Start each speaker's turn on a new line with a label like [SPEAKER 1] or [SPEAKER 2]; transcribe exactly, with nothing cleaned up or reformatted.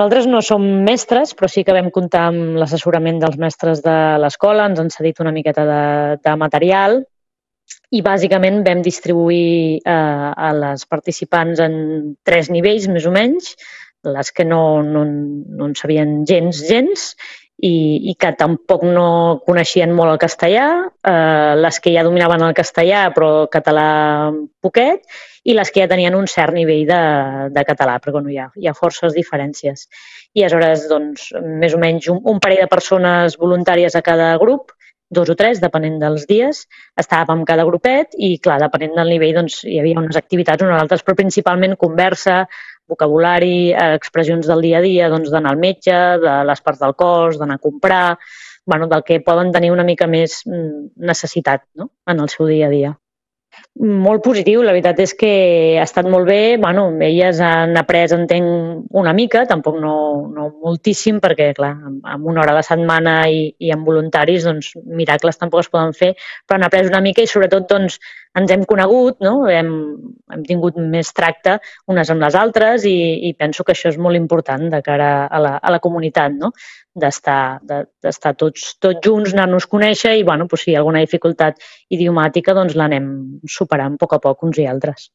[SPEAKER 1] Nosaltres no som mestres, però sí que vam comptar amb l'assessorament dels mestres de l'escola, ens han cedit una miqueta de, de material i bàsicament vam distribuir eh, a les participants en tres nivells, més o menys, les que no, no, no en sabien gens, gens, i, i que tampoc no coneixien molt el castellà, eh, les que ja dominaven el castellà però català poquet, i les que ja tenien un cert nivell de, de català, perquè bueno, hi, ha, hi ha forces diferències. I aleshores, doncs, més o menys un, un parell de persones voluntàries a cada grup, dos o tres, depenent dels dies, estàvem en cada grupet i, clar, depenent del nivell, doncs, hi havia unes activitats, unes altres, però principalment conversa, vocabulari, expressions del dia a dia, doncs d'anar al metge, de les parts del cos, d'anar a comprar, bueno, del que poden tenir una mica més necessitat, no?, en el seu dia a dia. Molt positiu, la veritat és que ha estat molt bé. Bueno, elles han après, entenc, una mica, tampoc no, no moltíssim, perquè, clar, amb una hora a la setmana i, i amb voluntaris, doncs, miracles tampoc es poden fer, però han après una mica i, sobretot, doncs, ens hem conegut, no? Hem, hem tingut més tracte unes amb les altres i, i penso que això és molt important de cara a la, a la comunitat, no?, d'estar de, d'estar tots, tots junts, anar-nos a conèixer i, bueno, doncs, si hi ha alguna dificultat idiomàtica, doncs l'anem superant a poc a poc uns i altres.